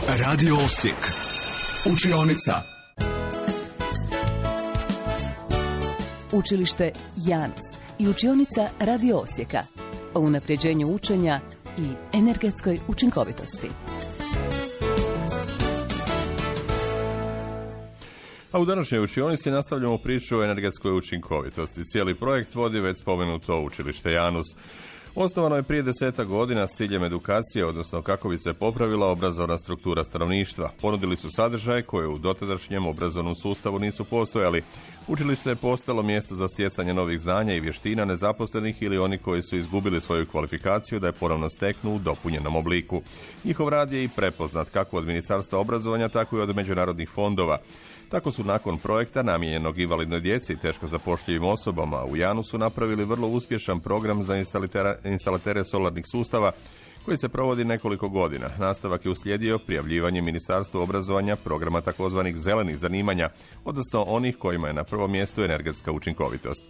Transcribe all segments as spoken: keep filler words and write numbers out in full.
Radio Osijek. Učionica. Učilište Janus i učionica Radio Osijeka o unapređenju učenja i energetskoj učinkovitosti. A u današnjoj učionici nastavljamo priču o energetskoj učinkovitosti. Cijeli projekt vodi već spomenuto učilište Janus. Osnovano je prije desetak godina s ciljem edukacije, odnosno kako bi se popravila obrazovna struktura stanovništva. Ponudili su sadržaje koje u dotadašnjem obrazovnom sustavu nisu postojali. Učilište je postalo mjesto za stjecanje novih znanja i vještina nezaposlenih ili oni koji su izgubili svoju kvalifikaciju da je ponovno steknu u dopunjenom obliku. Njihov rad je i prepoznat kako od Ministarstva obrazovanja, tako i od međunarodnih fondova. Tako su nakon projekta namijenjenog invalidnoj djeci i teško zapošljivim osobama u Janusu napravili vrlo uspješan program za instalatere solarnih sustava koji se provodi nekoliko godina. Nastavak je uslijedio prijavljivanje Ministarstvu obrazovanja programa takozvanih zelenih zanimanja, odnosno onih kojima je na prvom mjestu energetska učinkovitost.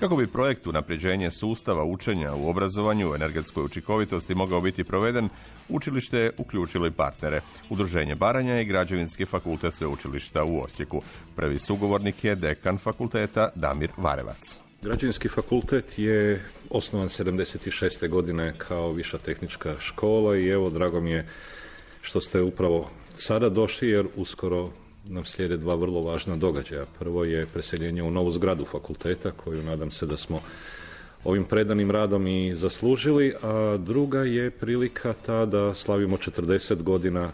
Kako bi projekt unapređenje sustava učenja u obrazovanju u energetskoj učinkovitosti mogao biti proveden, učilište je uključilo i partnere, Udruženje Baranja i Građevinski fakultet sveučilišta u Osijeku. Prvi sugovornik je dekan fakulteta Damir Varevac. Građevinski fakultet je osnovan sedamdeset šeste godine kao viša tehnička škola i evo, drago mi je što ste upravo sada došli jer uskoro nam slijede dva vrlo važna događaja. Prvo je preseljenje u novu zgradu fakulteta koju nadam se da smo ovim predanim radom i zaslužili, a druga je prilika ta da slavimo četrdeset godina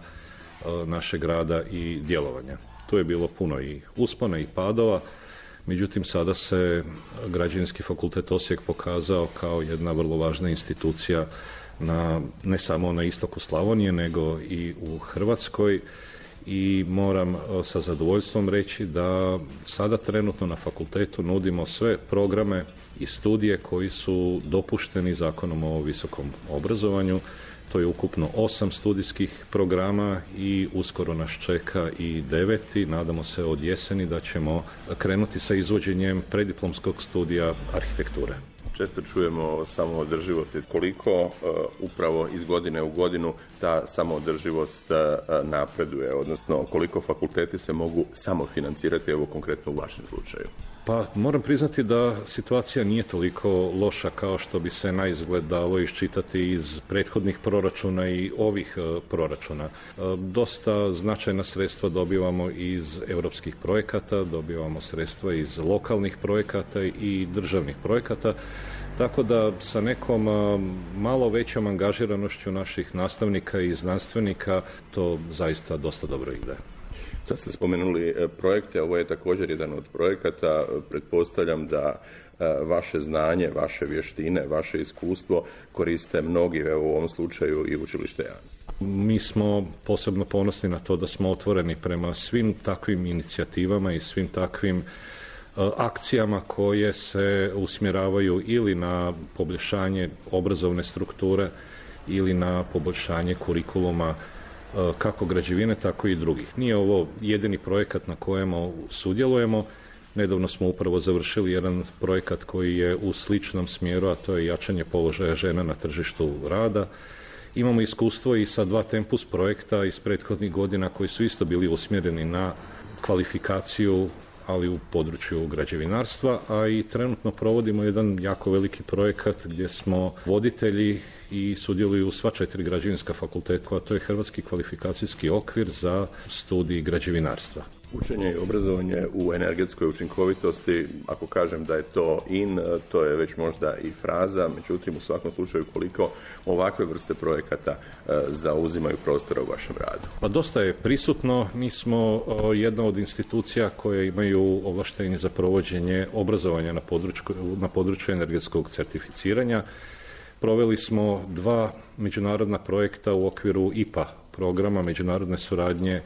našeg rada i djelovanja. Tu je bilo puno i uspona i padova, međutim sada se Građevinski fakultet Osijek pokazao kao jedna vrlo važna institucija na, ne samo na istoku Slavonije, nego i u Hrvatskoj. I moram sa zadovoljstvom reći da sada trenutno na fakultetu nudimo sve programe i studije koji su dopušteni Zakonom o visokom obrazovanju. To je ukupno osam studijskih programa i uskoro nas čeka i deveti. Nadamo se od jeseni da ćemo krenuti sa izvođenjem prediplomskog studija arhitekture. Često čujemo o samoodrživosti. Koliko uh, upravo iz godine u godinu ta samoodrživost uh, napreduje, odnosno koliko fakulteti se mogu samofinancirati, evo konkretno u vašem slučaju? Pa moram priznati da situacija nije toliko loša kao što bi se naizgled dalo iščitati iz prethodnih proračuna i ovih uh, proračuna. Uh, dosta značajna sredstva dobivamo iz europskih projekata, dobivamo sredstva iz lokalnih projekata i državnih projekata. Tako da sa nekom malo većom angažiranošću naših nastavnika i znanstvenika to zaista dosta dobro ide. Sad ste spomenuli projekte, ovo je također jedan od projekata. Pretpostavljam da vaše znanje, vaše vještine, vaše iskustvo koriste mnogi, evo u ovom slučaju i učilište Janus. Mi smo posebno ponosni na to da smo otvoreni prema svim takvim inicijativama i svim takvim akcijama koje se usmjeravaju ili na poboljšanje obrazovne strukture ili na poboljšanje kurikuluma kako građevine, tako i drugih. Nije ovo jedini projekat na kojemu sudjelujemo. Nedavno smo upravo završili jedan projekat koji je u sličnom smjeru, a to je jačanje položaja žena na tržištu rada. Imamo iskustvo i sa dva Tempus projekta iz prethodnih godina koji su isto bili usmjereni na kvalifikaciju, ali u području građevinarstva, a i trenutno provodimo jedan jako veliki projekat gdje smo voditelji i sudjeluju sva četiri građevinska fakulteta, a to je Hrvatski kvalifikacijski okvir za studij građevinarstva. Učenje i obrazovanje u energetskoj učinkovitosti, ako kažem da je to in, to je već možda i fraza, međutim u svakom slučaju koliko ovakve vrste projekata zauzimaju prostora u vašem radu? Pa dosta je prisutno. Mi smo jedna od institucija koje imaju ovlaštenje za provođenje obrazovanja na području, na području energetskog certificiranja. Proveli smo dva međunarodna projekta u okviru I P A programa međunarodne suradnje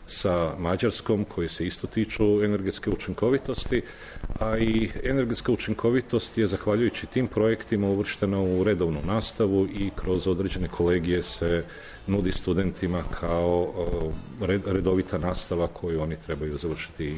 sa Mađarskom koji se isto tiču energetske učinkovitosti, a i energetska učinkovitost je zahvaljujući tim projektima uvrštena u redovnu nastavu i kroz određene kolegije se nudi studentima kao redovita nastava koju oni trebaju završiti